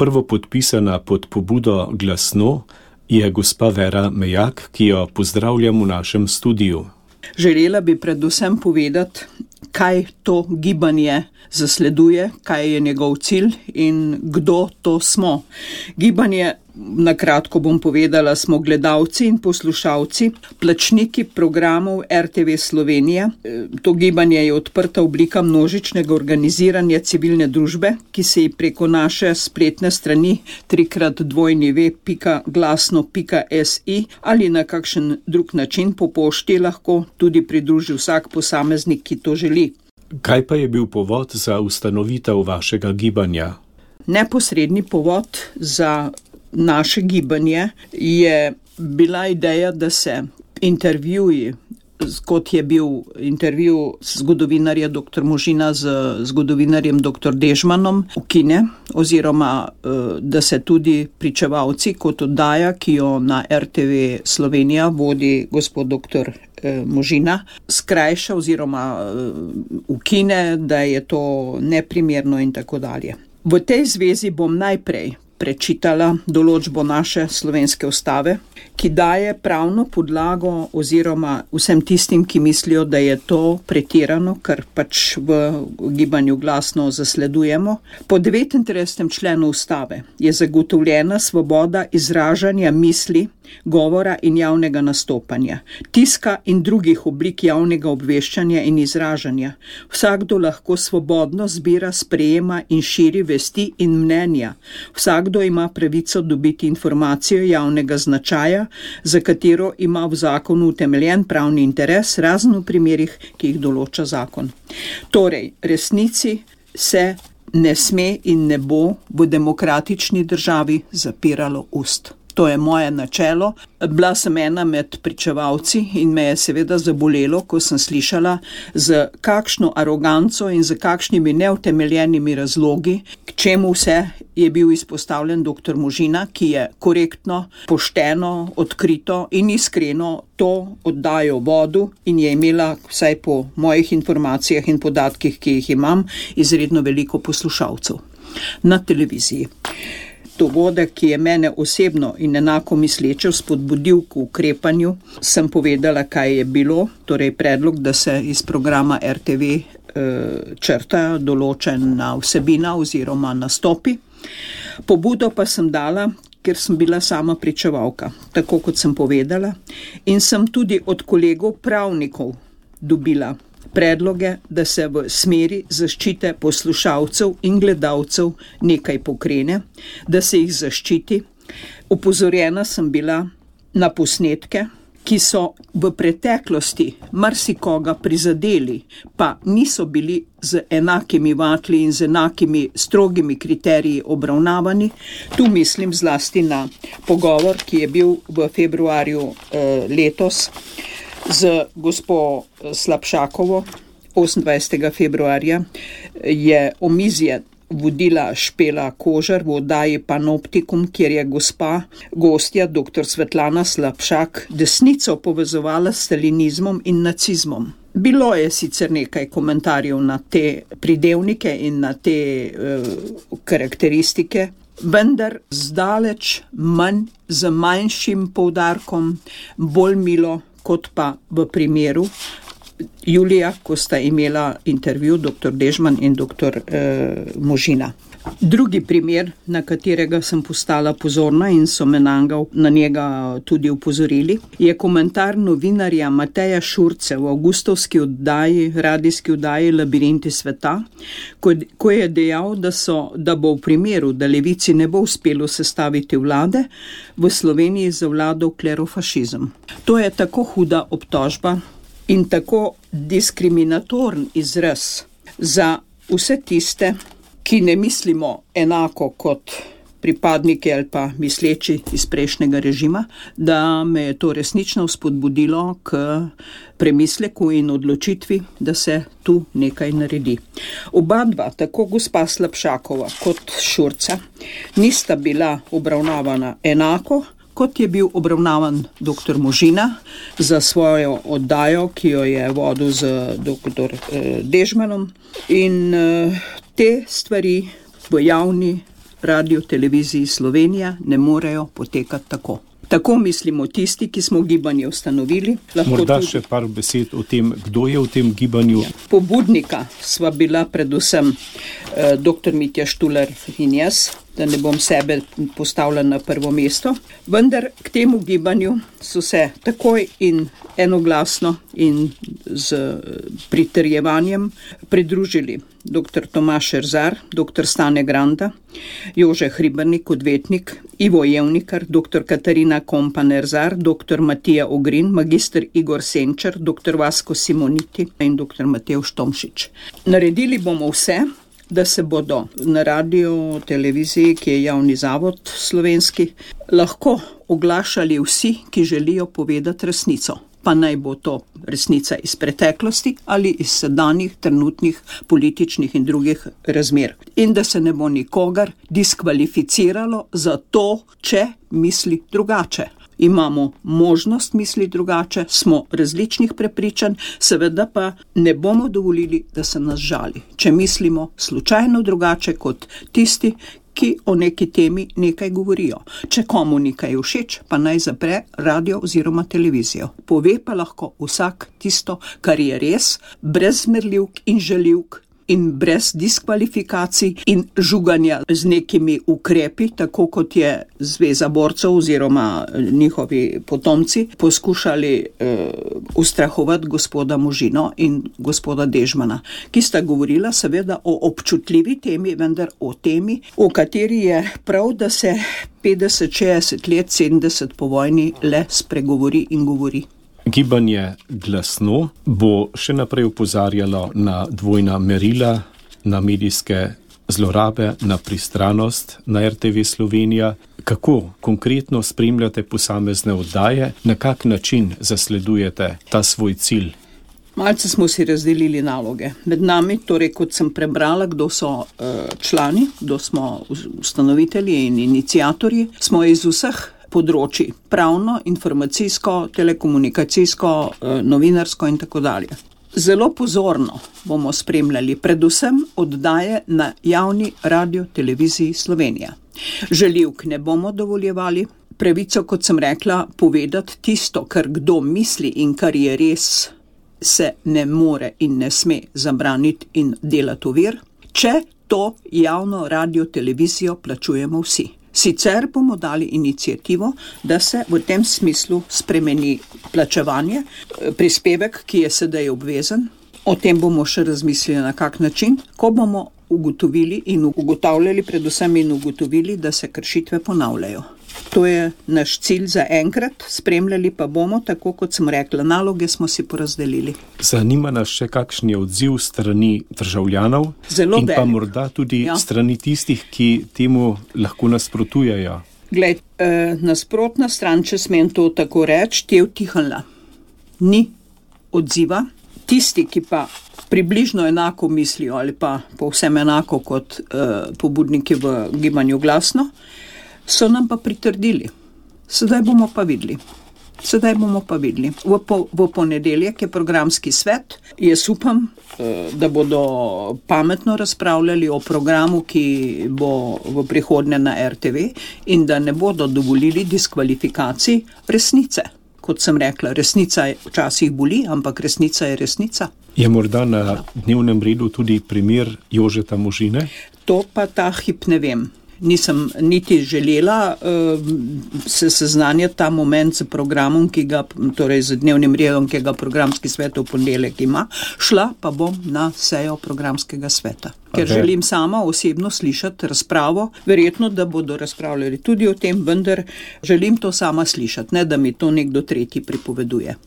prvo podpisana pod pobudo Glasno je gospa Vera Mejak, ki jo pozdravljam v našem studiu. Želela bi predvsem povedati, kaj to gibanje zasleduje, kaj je njegov cilj in kdo to smo. Gibanje, na kratko bom povedala, smo gledalci in poslušalci, plačniki programov RTV Slovenija. To gibanje je odprta oblika množičnega organiziranja civilne družbe, ki se ji preko naše spletne strani www.glasno.si ali na kakšen drug način po pošti lahko tudi pridruži vsak posameznik, ki to želi. Kaj pa je bil povod za ustanovitev vašega gibanja? Neposredni povod za naše gibanje je bila ideja, da se intervjuji, kot je bil intervju zgodovinarja dr. Možina z zgodovinarjem dr. Dežmanom, ukine, oziroma da se tudi pričevalci kot oddaja, ki jo na RTV Slovenija vodi gospod dr. Možina, skrajša oziroma ukine, da je to neprimerno in tako dalje. V tej zvezi bom najprej prečitala določbo naše slovenske ustave, ki daje pravno podlago oziroma vsem tistim, ki mislijo, da je to pretirano, kar pač v gibanju Glasno zasledujemo. Po 39. členu ustave je zagotovljena svoboda izražanja misli, govora in javnega nastopanja, tiska in drugih oblik javnega obveščanja in izražanja. Vsakdo lahko svobodno zbira, sprejema in širi vesti in mnenja. Vsakdo ima pravico dobiti informacijo javnega značaja, za katero ima v zakonu utemeljen pravni interes, razen v primerih, ki jih določa zakon. Torej, resnici se ne sme in ne bo v demokratični državi zapiralo ust. To je moje načelo. Bila sem ena med pričevalci in me je seveda zabolelo, ko sem slišala, z kakšno aroganco in z kakšnimi neutemeljenimi razlogi, k čemu vse je bil izpostavljen dr. Možina, ki je korektno, pošteno, odkrito in iskreno to oddajo vodil in je imela, vsaj po mojih informacijah in podatkih, ki jih imam, izredno veliko poslušalcev na televiziji. Dogodek, ki je mene osebno in enako misleče spodbudil k ukrepanju, sem povedala, kaj je bilo, torej predlog, da se iz programa RTV črta določena vsebina oziroma nastopi. Pobudo pa sem dala, ker sem bila sama pričevalka, tako kot sem povedala, in sem tudi od kolegov pravnikov dobila predloge, da se v smeri zaščite poslušalcev in gledalcev nekaj pokrene, da se jih zaščiti. Opozorjena sem bila na posnetke, ki so v preteklosti marsikoga prizadeli, pa niso bili z enakimi vatli in z enakimi strogimi kriteriji obravnavani. Tu mislim zlasti na pogovor, ki je bil v februarju letos z gospo Slapšakovo. 28. februarja je omizje vodila Špela Kožar v oddaji Panoptikum, kjer je gostja dr. Svetlana Slapšak desnico povezovala s stalinizmom in nacizmom. Bilo je sicer nekaj komentarjev na te pridevnike in na te karakteristike, vendar zdaleč manj, z manjšim poudarkom, bolj milo, kot pa v primeru julija, ko sta imela intervju dr. Dežman in dr. Možina. Drugi primer, na katerega sem postala pozorna in so me na njega tudi upozorili, je komentar novinarja Mateja Šurce v avgustovski radijski oddaji Labirinti sveta, ko je dejal, da bo v primeru, da levici ne bo uspelo sestaviti vlade, v Sloveniji zavladal klerofašizem. To je tako huda obtožba in tako diskriminatoren izraz za vse tiste, ki ne mislimo enako kot pripadniki ali pa misleči iz prejšnjega režima, da me je to resnično spodbudilo k premisleku in odločitvi, da se tu nekaj naredi. Oba dva, tako gospa Slapšakova kot Šurca, nista bila obravnavana enako, kot je bil obravnavan dr. Možina za svojo oddajo, ki jo je vodil z dr. Dežmanom. In te stvari v javni Radio Televiziji Slovenija ne morejo potekati tako. Tako mislimo tisti, ki smo gibanje ustanovili. Morda tudi še par besed o tem, kdo je v tem gibanju. Pobudnika sva bila predvsem dr. Mitja Štular in jaz, da ne bom sebe postavila na prvo mesto, vendar k temu gibanju so se takoj in enoglasno in z pritrjevanjem pridružili dr. Tomaž Erzar, dr. Stane Granda, Jože Hribernik, odvetnik, Ivo Jevnikar, dr. Katarina Kompan-Erzar, dr. Matija Ogrin, magister Igor Senčar, dr. Vasko Simoniti in dr. Matevž Tomšič. Naredili bomo vse, da se bodo na radio, televiziji, ki je javni zavod slovenski, lahko oglašali vsi, ki želijo povedati resnico. Pa naj bo to resnica iz preteklosti ali iz sedanjih, trenutnih, političnih in drugih razmer. In da se ne bo nikogar diskvalificiralo za to, če misli drugače. Imamo možnost misli drugače, smo različnih prepričanj, seveda pa ne bomo dovolili, da se nas žali, če mislimo slučajno drugače kot tisti, ki o neki temi nekaj govorijo. Če komu nekaj všeč, pa naj zapre radio oziroma televizijo. Pove pa lahko vsak tisto, kar je res, brez zmerljivk in žaljivk in brez diskvalifikacij in žuganja z nekimi ukrepi, tako kot je Zveza borcev oziroma njihovi potomci poskušali ustrahovati gospoda Možino in gospoda Dežmana, ki sta govorila seveda o občutljivi temi, vendar o temi, o kateri je prav, da se 50, 60 let, 70 po vojni le spregovori in govori. Gibanje Glasno bo še naprej opozarjalo na dvojna merila, na medijske zlorabe, na pristranost na RTV Slovenija. Kako konkretno spremljate posamezne oddaje, na kak način zasledujete ta svoj cilj? Malce smo si razdelili naloge. Med nami, torej kot sem prebrala, kdo so člani, kdo smo ustanovitelji in iniciatorji, smo iz vseh področji, pravno, informacijsko, telekomunikacijsko, novinarsko in tako dalje. Zelo pozorno bomo spremljali predvsem oddaje na javni radio televiziji Slovenija. Žaljivk ne bomo dovoljevali, pravico, kot sem rekla, povedati tisto, kar kdo misli in kar je res, se ne more in ne sme zabraniti in delati ovir, če to javno radio televizijo plačujemo vsi. Sicer bomo dali inicijativo, da se v tem smislu spremeni plačevanje, prispevek, ki je sedaj obvezen. O tem bomo še razmislili na kak način, ko bomo ugotovili in ugotavljali predvsem in ugotovili, da se kršitve ponavljajo. To je naš cilj za enkrat, spremljali pa bomo, tako kot sem rekla, naloge smo si porazdelili. Zanima nas še kakšen je odziv strani državljanov in pa morda tudi strani tistih, ki temu lahko nasprotujejo. Glej, nasprotna stran, če smem to tako reči, je utihnila. Ni odziva. Tisti, ki pa približno enako mislijo ali pa povsem enako kot pobudniki v gibanju Glasno, so nam pa pritrdili. Sedaj bomo pa videli. V ponedeljek je programski svet. Jaz upam, da bodo pametno razpravljali o programu, ki bo v prihodnje na RTV in da ne bodo dovolili diskvalifikacij resnice. Kot sem rekla, resnica včasih boli, ampak resnica je resnica. Je morda na dnevnem redu tudi primer Jožeta Možine? To pa ta hip ne vem. Nisem niti želela se seznanjati ta moment s programom, torej z dnevnim redom, ki ga programski svet v ponedeljek ima, šla pa bom na sejo programskega sveta. Ker želim sama osebno slišati razpravo, verjetno, da bodo razpravljali tudi o tem, vendar želim to sama slišati, ne da mi to nekdo tretji pripoveduje.